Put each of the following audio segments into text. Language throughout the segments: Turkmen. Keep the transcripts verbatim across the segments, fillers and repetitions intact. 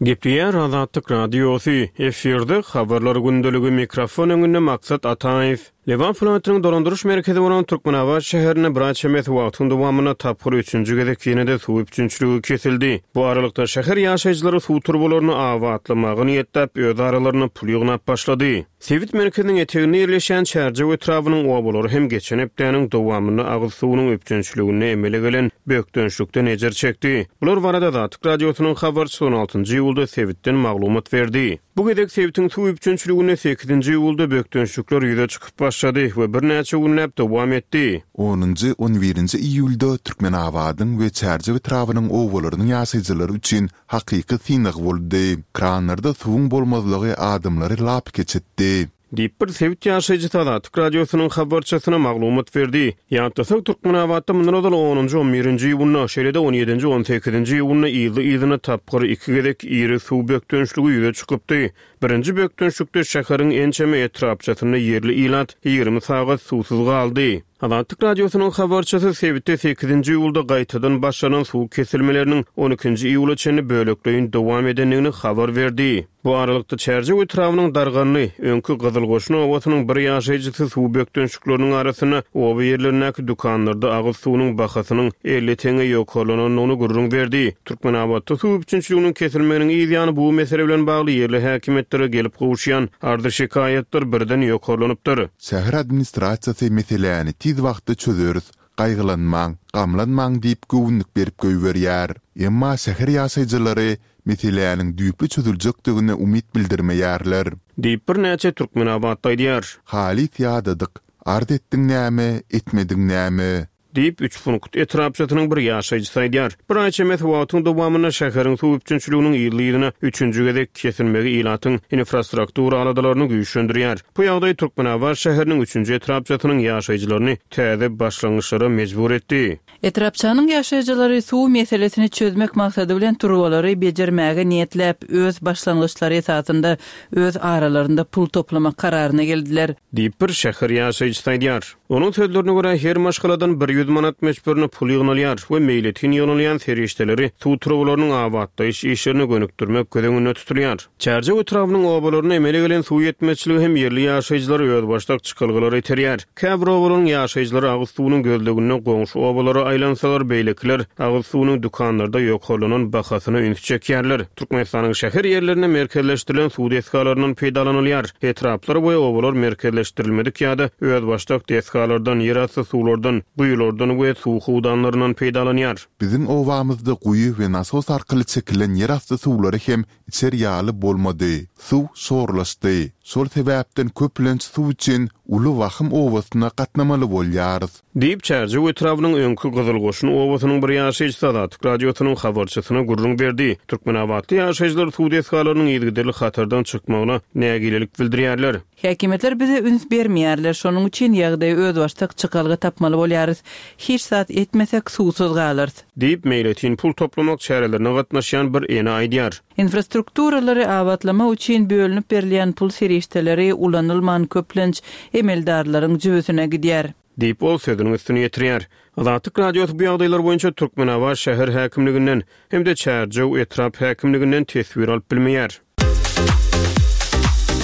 Gepleýär Azatlyk Radiosy, efirde Habarlar gündeligi, mikrofon öňünde Maksat Ataýew. Lebap welaýatynyň dolandyryş merkezi bolan Türkmenabat şäherinde bir aý çemesi wagtyň dowamynda tapgyr üçünji gezek ýene-de suw üpjünçiligi kesildi. Bu aralykda şäher ýaşaýjylary suw turbalaryny abatlamaga niýetläp, öz aralarynda pul ýygnap başlady. Sebit merkeziniň eteginde ýerleşýän Çärjew etrabynyň obalary hem geçen hepdäniň dowamynda agyz suwunyň üpjünçiliginde emele gelen bökdençlikden ejir çekdi. Bular barada Azatlyk Radiosynyň habarçysy on altynjy iýulda sebitden maglumat berdi. Bu gezek sebitiň suw üpjünçiliginde sekizinji iýulda bökdençlikler ýüze çykyp başlady we birnäçe günläp dowam etdi. Onunjy, on birinji iýulda Türkmenabadyň we Çärjew etrabynyň obalarynyň ýaşaýjylary üçin hakyky synag boldy. Kranlarda suwuň bolmazlygy adamlary lapykeç etdi. Diýip, bir sebit ýaşaýjysy Azatlyk Radiosynyň habarçysyna maglumat berdi. Ýatlasak, Türkmenabatda mundan ozal onunjy, on birinji iýunda, şeýle-de on ýedinji, on sekizinji iýunda yzly-yzyna tapgyr iki gezek iri suw bökdençligi ýüze çykypdy. Birinji bökdençlikde şäheriň ençeme etrapçasynda ýerli ilat ýigrimi sagat suwsuz galdy. Azatlyk Radiosynyň habarçysy sebitde sekizinji iýulda gaýtadan başlanan suw kesilmeleriniň on ikinji iýula çenli bölekleýin dowam edendigini habar berdi. Bu aralykda Çärjew etrabynyň Darganly, öňki Gyzylgoşun obasynyň bir ýaşaýjysy suw bökdençlikleriniň arasynda oba ýerlerindäki dükanlarda agyz suwunyň bahasynyň elli teňňe ýokarlanandygyny gürrüň berdi. Türkmenabatda suw üpjünçiliginiň kesilmeginiň yz ýany bu mesele bilen bagly ýerli häkimiýetlere gelip gowuşýan arzy-şikaýatlar birden ýokarlanypdyr. Şäher administrasiýasy meseläni tiz wagtda çözeris, gaýgylanmaň, gamlanmaň diýip göwünlik berip goýberýär. Emma şäher ýaşaýjylary meseläniň düýpli çözüljekdigine umyt bildirmeýärler. Diýip, birnäçe türkmenabatly aýdýar. Halys ýadadyk, arz etdiň näme, etmediň näme? Diýip, Üçpunkt etrapçasynyň bir ýaşaýjysy aýdýar. Bir aý çemesi wagtyň dowamynda şäheriň suw üpjünçiliginiň yzly-yzyna üçünji gezek kesilmegi ilatyň infrastruktura aladalaryny güýçlendirýär. Bu ýagdaý Türkmenabat şäheriniň üçünji etrapçasynyň ýaşaýjylaryny täze başlangyçlara mejbur etdi. Etrapçanyň ýaşaýjylary suw meselesini çözmek maksady bilen turbalary bejermäge niýetläp, öz başlangyçlary esasynda öz aralarynda pul toplamak kararyna geldiler. Diýip, bir şäher ýaşaýjysy aýdýar. Onuň sözlerine görä, her maşgaladan bir ýüz manat möçberinde pul ýygnalýar we meýletin ýygnalýan serişdeleri suw turbalarynyň abatlaýyş işlerine gönükdirmek göz öňünde tutulýar. Çärjew etrabynyň obalarynda emele gelen suw ýetmezçiligi hem ýerli ýaşaýjylary özbaşdak çykalgalara iterýär. Käbir obalaryň ýaşaýjylary agyz suwunyň gözleginde goňşy obalara aýlansalar, beýlekiler agyz suwunyň dükanlarda ýokarlanan bahasyna üns çekýärler. Türkmenistanyň şäher ýerlerinde merkezleşdirilen suw desgalaryndan peýdalanylýar. Etraplar we obalar merkezleşdirilmedik ýa-da özbaşdak desgalardan, ýerasty suwlardan, guýulardan we suw howdanlaryndan peýdalanýar. Biziň obamyzda guýy we nasos arkaly çekilen ýerasty suwlary hem içer ýaly bolmady. Suw şorlaşdy. Şol sebäpden köplenç suw üçin Uly Wahym obasyna gatnamaly bolýarys. Diýip, Çärjew etrabynyň öňki Gyzylgoşun obasynyň bir ýaşaýjysy Azatlyk Radiosynyň habarçysyna gürrüň berdi. Türkmenabatly ýaşaýjylar suw desgalarynyň yzygiderli hatardan çykmagyna nägilelik bildirýärler. Häkimiýetler bize üns bermeýärler, şonuň üçin ýagdaýa özbaşdak çykalga tapmaly bolýarys. Hiç zat etmesek, suwsuz galarys. Diýip, meýletin pul toplamak çärelerine gatnaşýan bir ene aýdýar. Infrastrukturalary abatlamak üçin bölünip berilýän pul serişdeleri ulanylman köplenç emeldarlaryň jübüsine gidýär. Diýip, ol sözüniň üstüni ýetirýär. Azatlyk Radiosy bu ýagdaýlar boýunça Türkmenabat şäher häkimliginden hem-de Çärjew etrap häkimliginden teswir alyp bilmeýär.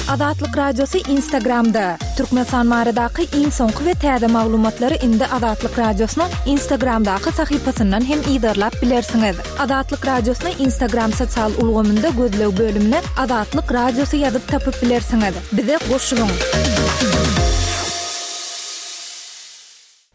Azatlyk Radiosy Instagramda. Türkmenistan baradaky iň soňky we täze maglumatlary indi Azatlyk Radiosynyň Instagramdaky sahypasyndan hem yzarlap bilersiňiz. Azatlyk Radiosyny Instagram sosial ulgamynda gözleg bölümine Azatlyk Radiosy ýazyp tapyp bilersiňiz. Bize goşulyň!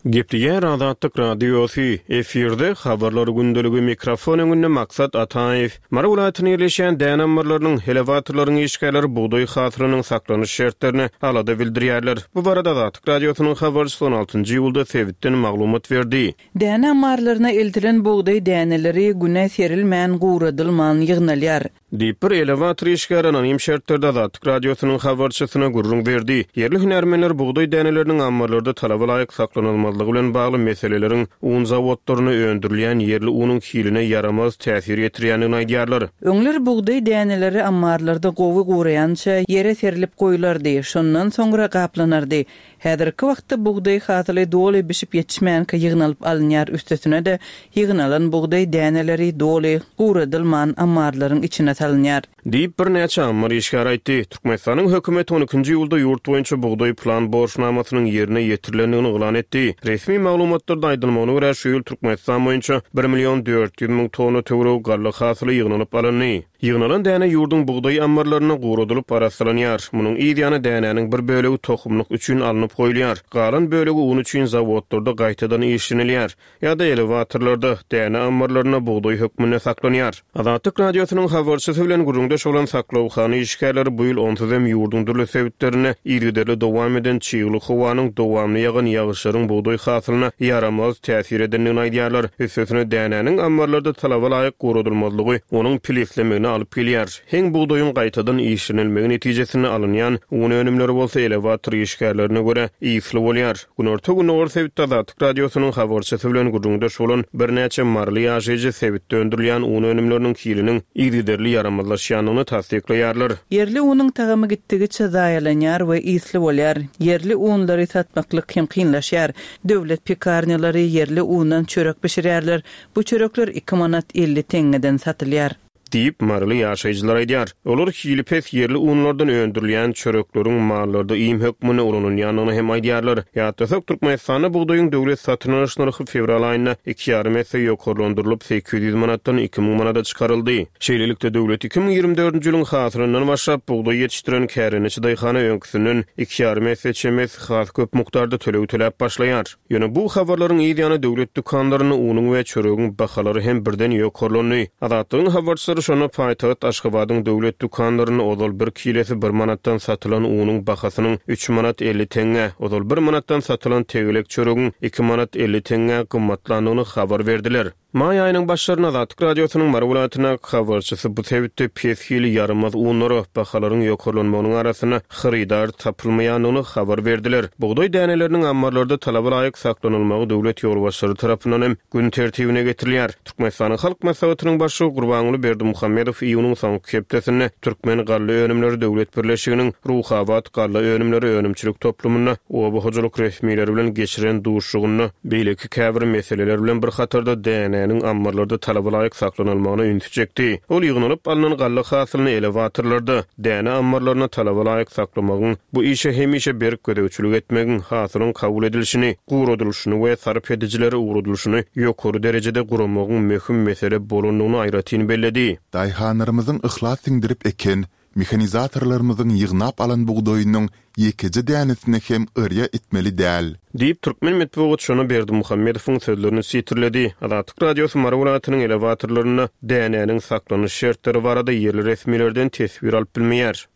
Gepleýär Azatlyk Radiosy, efirde Habarlar gündeligi, mikrofon öňünde Maksat Ataýew. Mary welaýatynda ýerleşýän däne ammarlarynyň, elewatorlaryň işgärleri bugdaý hasylynyň saklanyş şertlerine alada bildirýärler. Bu barada Azatlyk Radiosynyň habarçysy on altynjy iýulda sebitden maglumat berdi. Däne ammarlaryna eltilen bugdaý däneleri güne serilmän, guradylman ýygnalýar. Diýip, bir elewator işgäri anonim şertlerde Azatlyk Radiosynyň habarçysyna gürrüň berdi. Ýerli hünärmenler bugdaý däneleriniň ammarlarda talaba laýyk saklanylmazlygy bilen bagly meseleleriň un zawodlarynda öndürilýän ýerli unuň hiline ýaramaz täsir ýetirýändigini aýdýarlar. Öňler bugdaý däneleri ammarlarda gowy guraýança ýere serlip goýlardy, şondan soňra gaplanardy. Häzirki wagtda bugdaý hasyly doly bişip ýetişmänkä ýygnalyp alynýar, üstesine-de, ýygnalan bugdaý däneleri doly guradylman ammarlaryň içine salynýar. Diýip, birnäçe ammar işgäri aýtdy. Türkmenistanyň hökümeti on ikinji iýulda ýurt boýunça bugdaý plan borçnamasynyň ýerine ýetirilendigini yglan etdi. Resmi maglumatlarda aýdylmagyna görä, şu ýyl Türkmenistan boýunça bir million dört ýüz müň tonna töweregi galla hasyly ýygnalyp alyndy. Ýygnalan däne ýurduň bugdaý ammarlaryna guradylyp arassalanýar. Munuň yz ýany dänäniň bir bölegi tohumlyk üçin alnyp goýulýar. Galan bölegi un üçin zawodlarda gaýtadan işlenilýär ýa-da elewatorlarda däne ammarlarynda bugdaý hökmünde saklanýar. Azatlyk radiosynyň habarçysy bilen gürrüňdeş bolan saklawhana işgärleri bu ýyl onsuz hem ýurduň dürli sebitlerinde yzygiderli dowam eden çygly howanyň dowamly ýagan ýagyşlaryň bugdaý hasylyna ýaramaz täsir edendigini aýdýarlar. Üstesine dänäniň ammarlarda talaba laýyk guradylmazlygy onuň pilislemegine alyp gelýär. Heň bugdaýyň gaýtadan işlenilmegi netijesinde alynýan un önümleri bolsa elewator işgärlerine görä ýyly bolýar. Günorta Gündogar sebitde Azatlyk radiosynyň habarçysy bilen gürrüňdeş bolan birnäçe maryly ýaşaýjy sebitde öndürilýän un önümleriniň hiliniň yzygiderli ýaramazlaşýandygyny tassyklaýarlar. Ýerli unuň tagamy gitdigiçe zaýalanýar we ýyly bolýar. Ýerli unlary satmaklyk hem kynlaşýar. Döwlet pekarnýalary ýerli undan çörek bişirýärler. Bu çörekler iki manat elli teňňeden satylýar. Diýip, maryly ýaşaýjylar aýdýar. Olar hili pes ýerli unlardan öndürilýän çörekleriň mallarda iým hökmünde ulanylýandygyny hem aýdýarlar. Ýatlasak, Türkmenistanda bugdaýyň döwlet satyn alyş nyrhy fewral aýynda iki ýarym esse ýokarlandyrylyp sekiz ýüz manatdan iki müň manada çykaryldy. Şeýlelikde döwlet iki müň ýigrimi dördünji ýylyň hasylyndan başlap bugdaý ýetişdiren kärendeçi daýhana öňküsinden iki ýarym esse çemesi has köp mukdarda töleg töläp başlaýar. Ýöne bu habarlaryň yz ýany döwlet dükanlarynda unuň we çöregiň bahalary hem birden ýokarlandy. Azatlygyň habarçylary şonda paýtagt Aşgabadyň döwlet dükanlarynda ozal bir kilesi bir manatdan satylan unuň bahasynyň üç manat elli teňňe, ozal bir manatdan satylan tegelek çöregiň iki manat elli teňňe gymmatlandygyny habar berdiler. Maý aýynyň başlarynda Azatlyk radiosynyň Mary welaýatyndaky habarçysy bu sebitde pes hili ýaramaz unlara bahalaryň ýokarlanmagynyň arasynda hyrydar tapylmaýandygyny habar berdiler. Bugdaý däneleriniň ammarlarda talaba laýyk saklanylmagy döwlet ýolbaşçylary tarapyndan hem gün tertibine getirilýär. Türkmenistanyň Halk Maslahatynyň başlygy Gurbanguly Berdimuhamedow iýunyň soňky hepdesinde Türkmen galla önümleri döwlet birleşiginiň Ruhabat galla önümleri önümçilik toplumynda oba hojalyk resmileri bilen geçiren duşuşygynda beýleki käbir meseleler bilen bir hatarda dänäniň ammarlarda talaba laýyk saklanylmagyna ünsi çekdi. Ol ýygnalyp alnan galla hasylyny elewatorlarda däne ammarlaryna talaba laýyk saklamagyň, bu işe hemişe berk gözegçilik etmegiň, hasylyň kabul edilişini, guradylyşyny we sarp edijilere ugradylyşyny ýokary derejede guramagyň möhüm mesele bolandygyny aýratyn belledi. Daýhanlarymyzyň yhlas siňdirip eken, mehanizatorlarymyzyň ýygnap alan bugdaýynyň ýekeje dänesini hem yrýa etmeli däl. Diýip, Türkmen metbugat şona Berdimuhamedowyň sözlerini sitirledi. Azatlyk radiosy Mary welaýatynyň elewatorlarynda dänäniň saklanyş şertleri barada ýerli resmilerden teswir alyp bilmeýär.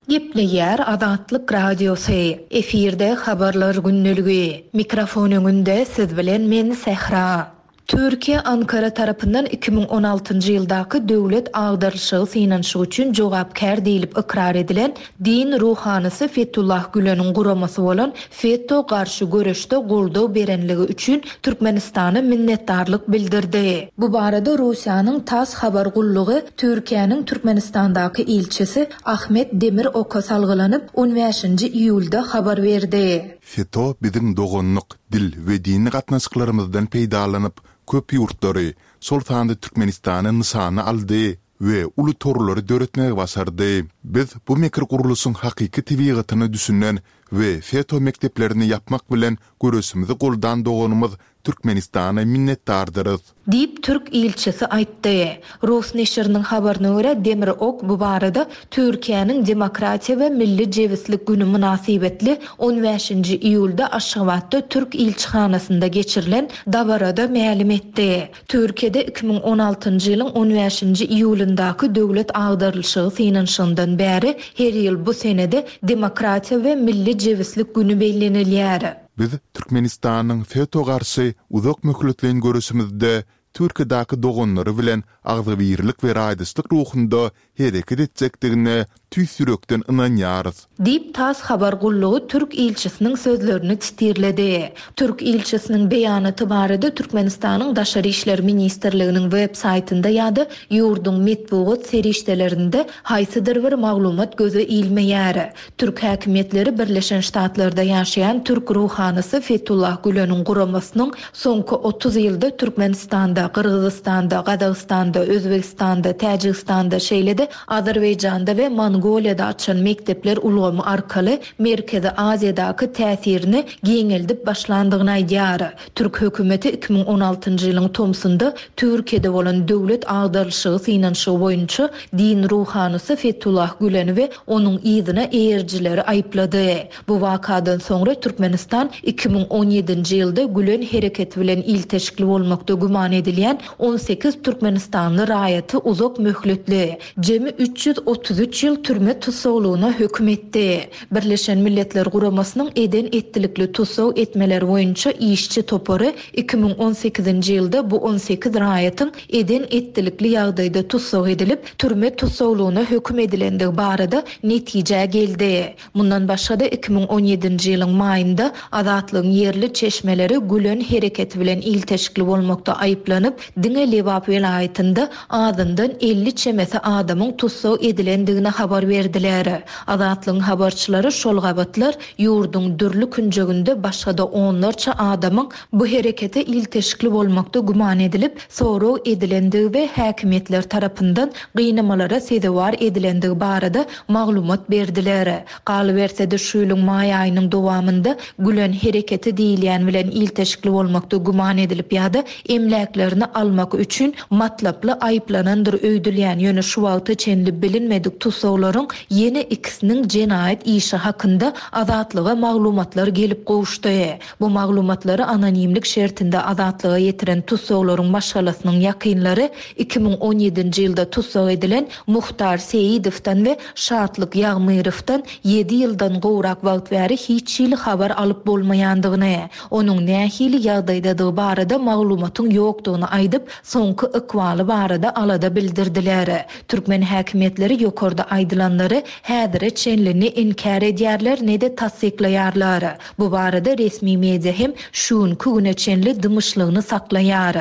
Gepleýär Azatlyk radiosy. Efirde habarlar gündeligi. Mikrofon öňünde siz bilen men Sähra. Türkiýe Ankara tarapyndan iki müň on altynjy ýyldaky döwlet agdarylyşygy synanyşygy üçin jogapkär diýlip ykrar edilen din ruhanysy Fethullah Güleniň guramasy bolan FETÖ garşy göreşde goldaw berenligi üçin Türkmenistana minnetdarlyk bildirdi. Bu barada Russiýanyň TASS habar gullugy Türkiýäniň Türkmenistandaky ilçisi Ahmet Demir oka salgylanyp on bäşinji iýulda habar berdi. FETÖ biziň doganlyk, dil we dini gatnaşyklarymyzdan peýdalanyp köp ýurtlary, şol sanda Türkmenistany nyşana aldy we uly torlary döretmegi başardy. Biz bu mekir gurluşyň hakyky tebigatyna düşünen we FETÖ mekdeplerini ýapmak bilen göreşimizi goldan doganymyz Türkmenistana minnetdardyrys. Diýip Türk ilçisi aýtdy. Rus neşiriniň habaryna görä Demir Ok bu barada Türkiýäniň Demokratiýa we Milli Jebislik günü mynasybetli on bäşinji iýulda Aşgabatda Türk ilçihanasynda geçirilen dabarada mälim etdi. Türkiýede iki müň on altynjy ýylyň on bäşinji iýulyndaky döwlet agdarylyşygy synanyşygyndan bäri her ýyl bu senede Demokratiýa we Milli Jebislik günü bellenilýär. Biz Türkmenistanyň FETÖ garşy uzak möhletleýin göreşimizde Türkiýedäki doganlary bilen agzybirlik we raýdaşlyk ruhunda hereket etjekdigine tüýs ýürekden ynanýarys. Diýip TASS habar gullugy Türk ilçisiniň sözlerini titirledi. Türk ilçisiniň beýanaty barada Türkmenistanyň Daşary işler ministrliginiň web saýtynda ýa-da ýurduň metbugat serişdelerinde haýsydyr bir maglumat göze ilmeýär. Türk häkimiýetleri Birleşen Ştatlarda ýaşaýan Türk ruhanysy Fethullah Güleniň guramasynyň soňky otuz ýylda Türkmenistanda, Türkmenistanda, Gyrgyzystanda, Gazagystanda, Özbegistanda, Täjigistanda, şeýle-de Azerbaýjanda we Mongoliýada açan mekdepler ulgamy arkaly Merkezi Aziýadaky täsirini giňeldip başlandygyny aýdýar. Türk hökümeti iki müň on altynjy ýylyň tomsunda Türkiýede bolan döwlet agdarylyşygy synanyşygy boýunça din ruhanysy Fethullah Güleni we onuň yzyna eýerijileri aýyplady. Bu wakadan soňra Türkmenistan iki müň on ýedinji ýylda Gülen hereketi bilen ilteşikli bolmakda güman edilýän on sekiz türkmenistanly raýaty uzak möhletli, jemi üç ýüz otuz üç ýyl türme tussaglygyna höküm etdi. Birleşen Milletler Guramasynyň eden etdilikli tussag etmeler boýunça işçi topary iki müň on sekizinji ýylda bu on sekiz raýatyň eden etdilikli ýagdaýda tussag edilip, türme tussaglygyna höküm edilendigi barada netijä geldi. Mundan başga-da iki müň on ýedinji ýylyň maýynda Azatlygyň ýerli çeşmeleri Gülen hereketi bilen ilteşikli bolmakda aýyplanyp, diňe Lebap welaýatynda azyndan elli çemesi adamyň tussag edilendigini habar berdiler. Azatlygyň habarçylary şol gabatlar ýurduň dürli künjeginde başga-da onlarça adamyň bu herekete ilteşikli bolmakda güman edilip, sorag edilendigi we häkimiýetler tarapyndan gynamalara sezewar edilendigi barada maglumat berdiler. Galyberse-de şu ýylyň maý aýynyň dowamynda Gülen hereketi diýilýän bilen ilteşikli bolmakda güman edilip ýa-da emläklerini almak üçin matlaply aýyplanandyr öýdülýän ýöne şu wagta çenli bilinmedik tussaglaryň ýene ikisiniň jenaýat işi hakynda Azatlyga maglumatlar gelip gowuşdy. Bu maglumatlary anonimlik şertinde Azatlyga ýetiren tussaglaryň maşgalasynyň ýakynlary iki müň on ýedinji ýylda tussag edilen Muhtar Seýidowdan we Şatlyk Ýagmyrowdan ýedi ýyldan gowrak wagt bäri hiç hili habar alyp bolmaýandygyny, onuň nähili ýagdaýdadygy barada maglumatyň ýokdugyny aýdyp, soňky ykbaly barada alada bildirdiler. Türkmen häkimiýetleri ýokarda aýdylanlary häzire çenli ne inkär edýärler, ne de tassyklaýarlar. Bu barada resmi media hem şu günkü güne çenli dymyşlygyny saklaýar.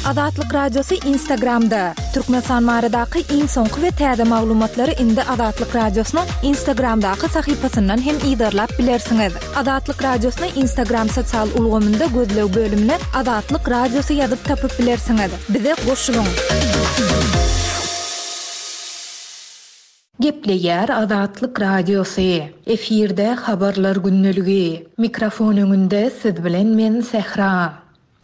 Azatlyk Radiosy Instagramda. Türkmenistan baradaky iň soňky we täze maglumatlary indi Azatlyk Radiosynyň Instagramdaky sahypasyndan hem yzarlap bilersiňiz. Azatlyk Radiosyny Instagram sosial ulgamynda gözleg bölümine Azatlyk Radiosy ýazyp tapyp bilersiňiz. Bize goşulyň. Gepleýär Azatlyk Radiosy. Efirde habarlar gündeligi. Mikrofon öňünde siz bilen men Sehra.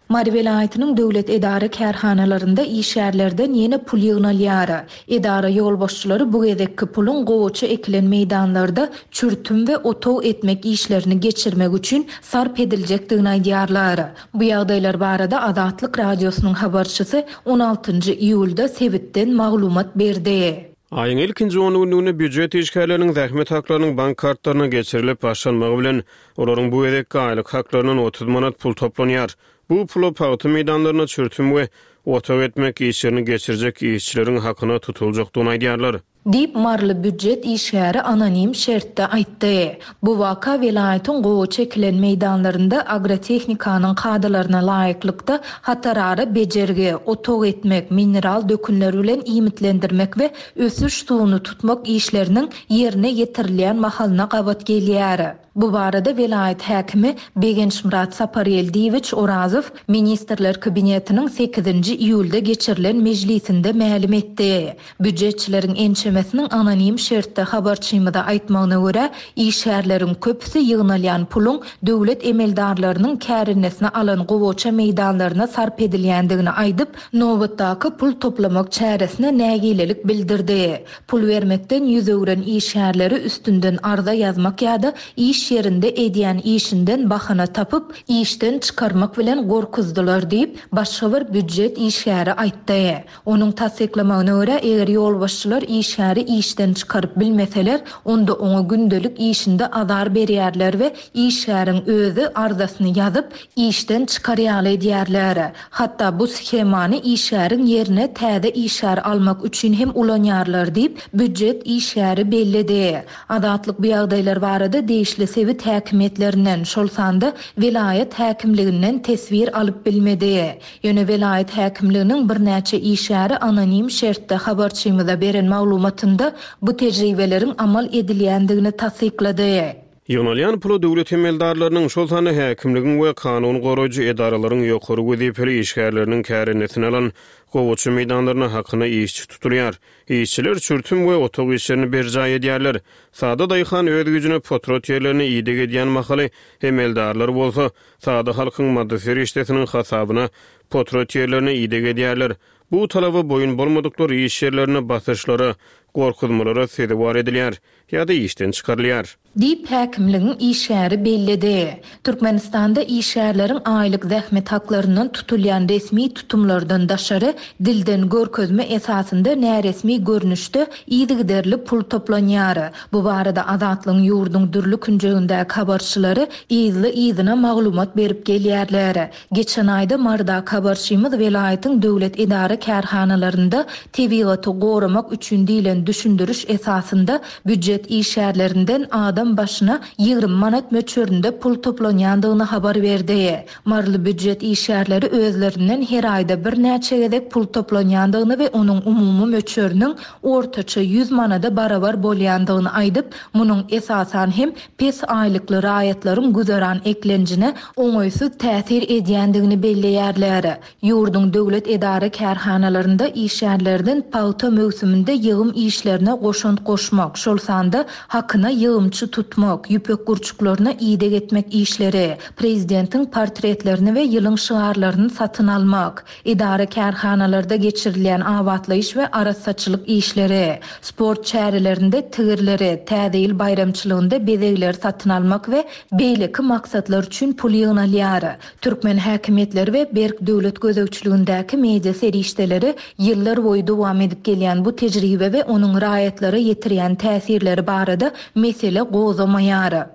Mary welaýatynyň döwlet edara kärhanalarynda işgärlerden ýene pul ýygnalýar. Edara ýolbaşçylary bu gezekki puluň gowaça ekilen meýdanlarda çürtüm we otag etmek işlerini geçirmek üçin sarp ediljekdigini aýdýarlar. Bu ýagdaýlar barada Azatlyk Radiosynyň habarçysy on altynjy iýulda sebitden maglumat berdi. Aýyň ilkinji on günlüginde býujet işgärleriniň zähmet haklarynyň bank kartlaryna geçirilip başlanmagy bilen olaryň bu gezekki aýlyk haklaryndan otuz manat pul toplanýar. Bu pula pagta meýdanlaryna çürtüm we otag etmek işlerini geçirjek işçileriň hakyna tutuljakdygyny aýdýarlar. Diýip Marly býujet işgäri anonim şertde aýtdy. Bu waka welaýatyň gowaça ekilen meýdanlarynda agrotehnikanyň kadalaryna laýyklykda hatarara bejergi, otag etmek, mineral dökünler bilen iýmitlendirmek we ösüş suwuny tutmak işleriniň ýerine ýetirilýän mahalyna gabat gelýär. Bu barada welaýat häkimi Begençmyrat Sapargeldiýewiç Orazow Ministrler Kabinetiniň sekizinji iýulda geçirilen mejlisinde mälim etdi. Býujetçileriň ençemesiniň anonim şertde habarçymyza aýtmagyna görä, işgärleriň köpüsi ýygnalýan puluň döwlet emeldarlarynyň kärennesine alan gowaça meýdanlaryna sarp edilýändigini aýdyp, nobatdaky pul toplamak çäresine nägilelik bildirdi. Pul bermekden ýüz öwren işgärleri üstünden arza ýazmak ýa-da iş ýerinde edýän işinden bahana tapyp, işden çykarmak bilen gorkuzdylar diýip, başga bir býujet işgäri aýtdy. Onuň tassyklamagyna görä, eger ýolbaşçylar işgäri işden çykaryp bilmeseler, onda oňa gündelik işinde azar berýärler we işgäriň özi arzasyny ýazyp, işden çykarýaly edýärler. Hatda bu shemany işgäriň ýerine täze işgär almak üçin hem ulanýarlar diýip, býujet işgäri belledi. Azatlyk bu ýagdaýlar barada degişli sebit häkimiýetlerinden, şol sanda welaýat häkimliginden teswir alyp bilmedi. Ýöne welaýat häkimliginiň birnäçe işgäri anonim şertde habarçymyza beren maglumatynda bu tejribeleriň amal edilýändigini tassyklady. Ýygnalýan pula döwlet emeldarlarynyň, şol sanda häkimligiň we kanun goraýjy edaralaryň ýokary wezipeli işgärleriniň kärendesyny alan gowaça meýdanlaryna hakyna işçi tutulýar. Işçiler çürtüm we otag işlerini berjaý edýärler. Sada daýhan öz güýjüne potrat ýerlerini ideg edýän mahaly emeldarlar bolsa sada halkyň maddy serişdesiniň hasabyna potrat ýerlerine ideg edýärler. Bu talaba boýun bolmadyklar iş ýerlerine basyşlara, gorkuzmalara sezewar edilýär ýa-da işden çykarylýar. Diýip, häkimligiň işgäri belledi. Türkmenistanda işgärleriň aýlyk zähmet haklaryndan tutulýan resmi tutumlardan daşary, dilden görkezme esasynda näresmi görnüşde yzygiderli pul toplanýar. Bu barada Azatlygyň ýurduň dürli künjegindäki habarçylary yzly-yzyna maglumat berip gelýärler. Geçen aýda Marydaky habarçymyz welaýatyň döwlet edara-kärhanalarynda tebigaty goramak üçin diýlen düşündiriş esasynda býujet işgärlerinden adam başyna ýigrimi manat möçberinde pul toplanýandygyny habar berdi. Maryly býujet işgärleri özlerinden her aýda birnäçe gezek pul toplanýandygyny we onuň umumy möçberiniň ortaça ýüz manada barabar bolýandygyny aýdyp, munuň esasan hem pes aýlykly raýatlaryň güzeran eklenjine oňaýsyz täsir edýändigini belleýärler. Ýurduň döwlet edara-kärhanalarynda işgärlerden pagta möwsüminde ýygym işlerine goşant goşmak, şol sanda hakyna ýygymçy tutmak, ýüpek gurçuklaryna ideg etmek işleri, prezidentiň portretlerini we ýylyň şygarlaryny satyn almak, edara-kärhanalarda geçirilýän abatlaýyş we arassaçylyk işleri, sport çärelerinde tigirleri, Täze ýyl baýramçylygynda bezegleri satyn almak we beýleki maksatlar üçin pul ýygnalýar. Türkmen häkimiýetleri we berk döwlet gözegçiligindäki media serişdeleri ýyllar boýy dowam edip gelýän bu tejribe we onuň raýatlara ýetirýän täsirleri barada mesele gozamaýar.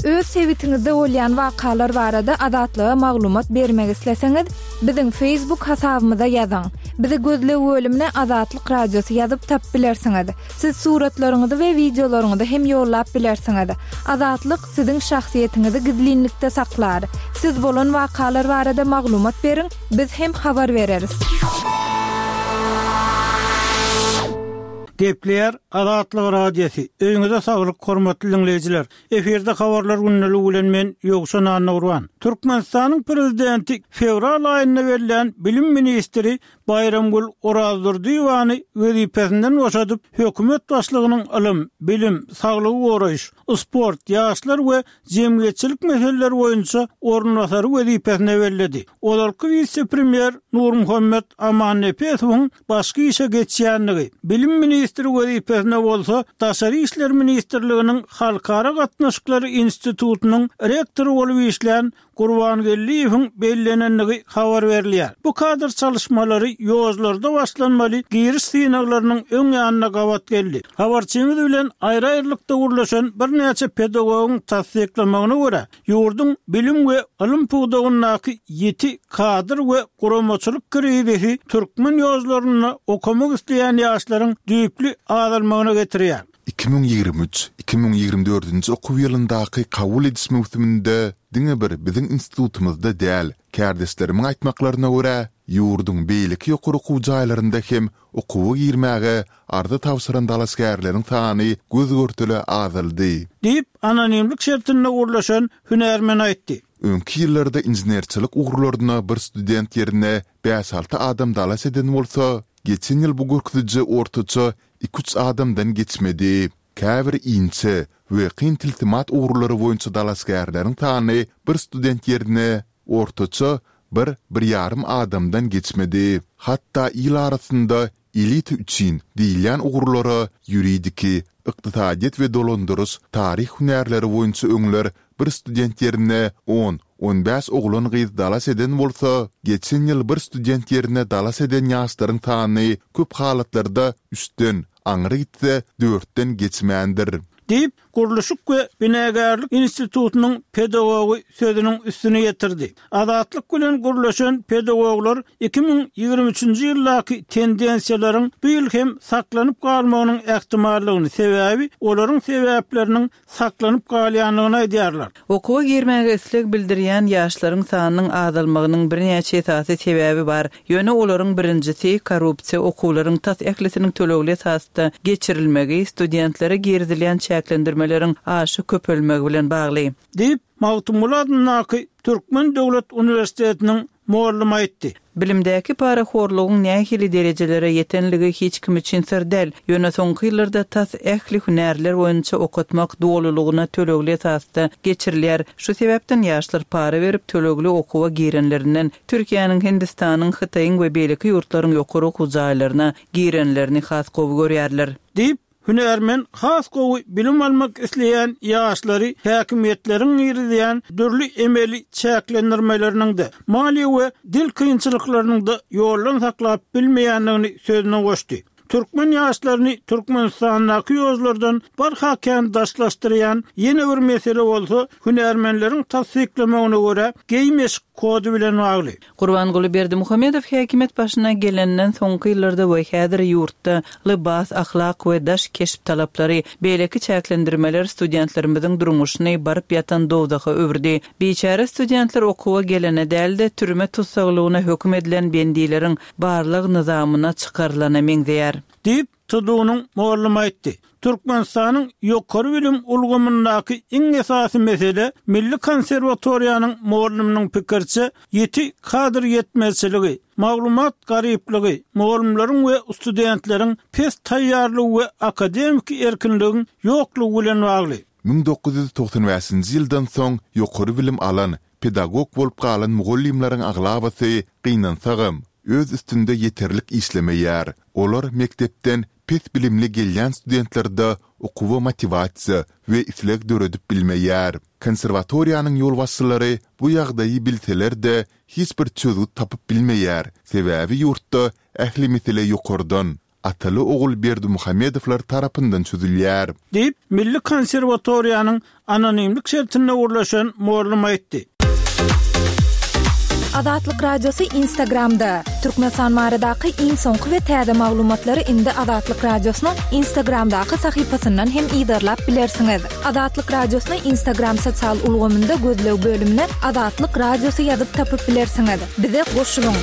Öz sebitiňizde bolýan wakalar barada Azatlyga maglumat bermek isleseňiz, biziň Facebook hasabymyza ýazyň. Bizi gözleg bölümine Azatlyk Radiosy ýazyp tapyp bilersiňiz. Siz suratlaryňyzy we wideolaryňyzy hem ýollap bilersiňiz. Azatlyk siziň şahsyýetiňizi gizlinlikde saklar. Siz bolan wakalar barada maglumat beriň, biz hem habar bereris. Gepleýär Azatlyk Radiosy. Öýüňize saglyk, hormatly diňleýjiler. Efirde habarlar gündeligi bilen men Ýowşan Annagurban. Türkmenistanyň prezidenti fewral aýynda berlen bilim ministri Baýramgül Orazdurdyýewany wezipesinden boşadyp, hökümet başlygynyň ylym, bilim, saglygy goraýyş, sport, ýaşlar we jemgyýetçilik meseleleri boýunça orunbasary wezipesine belledi. Ozalky wise-premýer Nurmuhammet Amannepesowyň başga işe geçýändigi, bilim ministri wezipesine bolsa Daşary işler ministrliginiň Halkara gatnaşyklary institutynyň rektory bolup işlän Gurbangeldiýewiň bellenendigi habar berilýär. Bu kadr çalyşmalary ýollarda başlanmaly giriş synaglarynyň öň ýanyna gabat geldi. Habarçymyz bilen aýry-aýrylykda gürleşen birnäçe pedagogyň tassyklamagyna görä, ýurduň bilim we ylym pudagyndaky ýiti kadr we guramaçylyk krizisi türkmen ýollarynda okamak isleýän ýaşlaryň düýpli azalmagyna getirýär. Iki müň ýigrimi üç, iki müň ýigrimi dördünji okuw ýylyndaky kabul ediş möwsüminde diňe bir biziň institutymyzda däl, kärdeşlerimiň aýtmaklaryna görä, ýurduň beýleki ýokary okuw jaýlarynda hem okuwa girmäge arza tabşyran dalaşgärleriň sany göz-görtele azaldy. Diýip, anonimlik şertinde gürleşen hünärmen aýtdy. Öňki ýyllarda inženerçilik ugurlaryna bir student ýerine bäş-alty adam dalaş eden bolsa, geçen ýyl bu görkeziji ortaça iki-üç adamdan geçmedi. Käbir inçe we kyn tilsimat ugurlary boýunça dalaşgärleriň sany bir student ýerine ortaça bir, bir ýarym adamdan geçmedi. Hatda il arasynda elita üçin diýilýän ugurlara ýuridiki, ykdysadyýet we dolandyryş, taryh hünärleri boýunça öňler bir student ýerine on, on bäş oglan-gyz dalaş eden bolsa, geçen ýyl bir student ýerine dalaş eden ýaşlaryň sany köp halatlarda üçden, aňry gitse dörtden geçmändir. Diýip, Gurluşyk we binagärlik institutynyň pedagogy sözüniň üstüni ýetirdi. Azatlyk bilen gürleşen pedagoglar iki müň ýigrimi üçünji ýyldaky tendensiýalaryň bu ýyl hem saklanyp galmagynyň ähtimallygyny, sebäbi olaryň sebäpleriniň saklanyp galýandygyny aýdýarlar. Okuwa girmäge isleg bildirýän ýaşlaryň sanynyň azalmagynyň birnäçe esasy sebäbi bar. Ýöne olaryň birinjisi korrupsiýa okuwlaryň tas ählisiniň tölegli esasda geçirilmegi, studentlere girizilýän çäklendirmeleriň aşa köpelmegi bilen bagly. Diýip, Magtymguly adyndaky Türkmen döwlet uniwersitetiniň mugallymy aýtdy. Bilimdäki parahorlugyň nähili derejelere ýetenligi hiç kim üçin syr däl. Ýöne soňky ýyllarda tas ähli hünärler boýunça okatmak dolulygyna tölegli esasda geçirilýär. Şu sebäpden ýaşlar para berip tölegli okuwa girenlerinden Türkiýäniň, Hindistanyň, Hytaýyň we beýleki ýurtlaryň ýokary okuw jaýlaryna girenlerini has gowy görýärler. Diýip, hünärmen has gowy bilim almak isleýän ýaşlary häkimiýetleriň girizýän dürli emeli çäklendirmeleriniň-de, maliýe we dil kynçylyklarynyň-da ýoldan saklap bilmeýändigini sözüne goşdy. Türkmen ýaşlaryny Türkmenistandaky ýollardan barha kän daşlaşdyrýan ýene bir mesele bolsa, hünärmenleriň tassyklamagyna görä, geýim-eşik kody bilen bagly. Gurbanguly Berdimuhamedow häkimiýet başyna gelenden soňky ýyllarda we häzir ýurtda lybas, ahlak we daş keşp talaplary, beýleki çäklendirmeler studentlerimiziň durmuşyny baryp ýatan dowzaha öwürdi. Biçäre studentler okuwa gelene däl-de, türme tussaglygyna höküm edilen bendileriň barlyk nyzamyna çykarylana meňzeýär. Diýip, T D Unyň mugallymy aýtdy. Türkmenistanyň ýokary bilim ulgamyndaky iň esasy mesele Milli konserwatoriýanyň mugallymynyň pikiriçe ýiti kadr ýetmezçiligi, maglumat garyplygy, mugallymlaryň we studentleriň pes taýýarlygy we akademiki erkinligiň ýoklugy bilen bagly. Müň dokuz ýüz togsan bäşinji ýyldan soň ýokary bilim alan, pedagog bolup galan mugallymlaryň aglabasy gynansagam, öz üstünde ýeterlik işlemeýär. Olar mekdepden pes bilimli gelýän studentlerde okuwa motiwasiýa we isleg döredip bilmeýär. Konserwatoriýanyň ýolbaşçylary bu ýagdaýy bilseler-de hiç bir çözgüt tapyp bilmeýär, sebäbi ýurtda ähli mesele ýokardan, ataly ogul Berdimuhamedowlar tarapyndan çözülýär. Diýip, Milli konserwatoriýanyň anonimlik şertinde gürleşen mugallym aýtdy. Azatlyk Radiosy Instagramda. Türkmenistan baradaky iň soňky we täze maglumatlary indi Azatlyk Radiosynyň Instagramdaky sahypasyndan hem yzarlap bilersiňiz. Azatlyk Radiosyny Instagram sosial ulgamynda gözleg bölümine Azatlyk Radiosy ýazyp tapyp bilersiňiz. Bize goşulyň.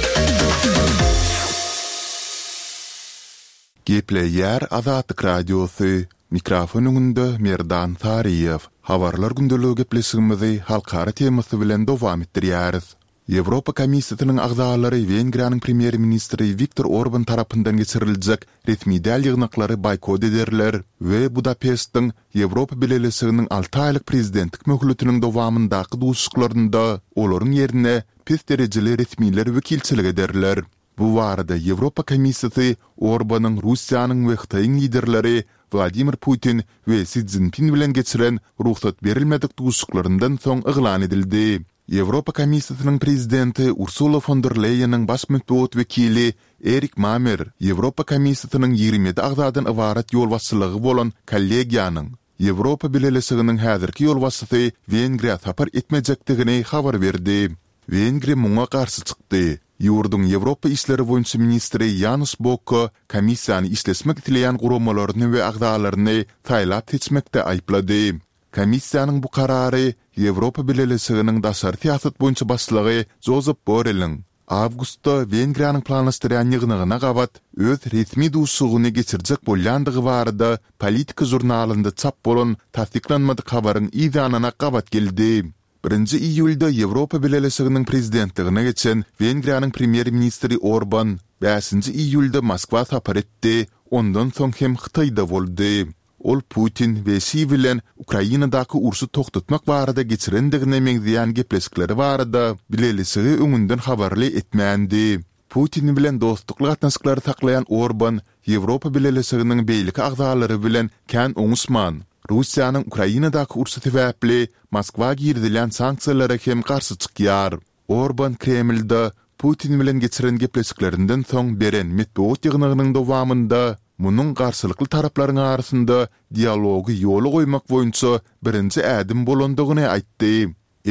Gepleýär Azatlyk Radiosy. Mikrofon öňünde Merdan Saryýew. Habarlar gündeligi gepleşigimizi halkara temasy bilen dowam etdirýäris. Ýewropa Komissiýasynyň agzalary Wengriýanyň premýer-ministri Wiktor Orban tarapyndan geçiriljek resmi däl ýygnaklary boýkot ederler we Budapeştiň Ýewropa Bileleşiginiň alty aýlyk prezidentlik möhletiniň dowamyndaky duşuşyklarynda olaryň ýerine pes derejeli resmiler wekilçilik ederler. Bu barada Ýewropa Komissiýasy Orbanyň Russiýanyň we Hytaýyň liderleri Wladimir Putin we Si Szinpin bilen geçiren rugsat berilmedik duşuşyklaryndan soň yglan edildi. Ýewropa Komissiýasynyň prezidenti Ursula fon der Leýeniň baş metbugat wekili Erik Mamer Ýewropa Komissiýasynyň ýigrimi ýedi agzadan ybarat ýolbaşçylygy bolan kollegiýanyň Ýewropa Bileleşiginiň häzirki ýolbaşçysy Wengriýa sapar etmejekdigini habar berdi. Wengriýa muňa garşy çykdy. Ýurduň Ýewropa işleri boýunça ministri Ýanuş Bokko komissiýany işleşmek isleýän guramalaryny we agzalaryny saýlap seçmekde aýyplady. Komissiýanyň bu karary Ýewropa Bileleşiginiň daşary syýasat boýunça başlygy Jozep Borreliň awgustda Wengriýanyň planlaşdyrýan ýygnagyna gabat öz resmi duşuşygyny geçirjek bolýandygy barada Politika žurnalynda çap bolan tassyklanmadyk habaryň yz ýanyna gabat geldi. Birinji iýulda Ýewropa Bileleşiginiň prezidentligine geçen Wengriýanyň premýer-ministri Orban bäşinji iýulda Moskwa sapar etdi, ondan soň hem Hytaýda boldy. Ol Putin we Şi bilen Ukrainadaky urşy togtatmak barada geçirendigine meňzeýän gepleşikleri barada Bileleşigi öňünden habarly etmändi. Putin bilen dostlukly gatnaşyklary saklaýan Orban Ýewropa Bileleşiginiň beýleki agzalary bilen kän oňuşman, Russiýanyň Ukrainadaky urşy sebäpli Moskwa girizilýän sanksiýalara hem garşy çykýar. Orban Kremlde Putin bilen geçiren gepleşiklerinden soň beren metbugat ýygnagynyň dowamynda munuň garşylykly taraplaryň arasynda dialogy ýola goýmak boýunça birinji ädim bolandygyny aýtdy.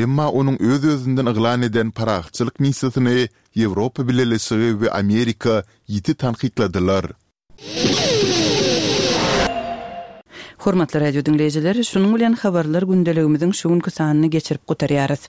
Emma onuň öz-özünden yglan eden parahatçylyk missiýasyny Ýewropa Bileleşigi we Amerika ýiti tankytladylar. Hormatly radio diňleýjiler, şunuň bilen habarlar gündeligimiziň şu günki sanyny geçirip gutarýarys.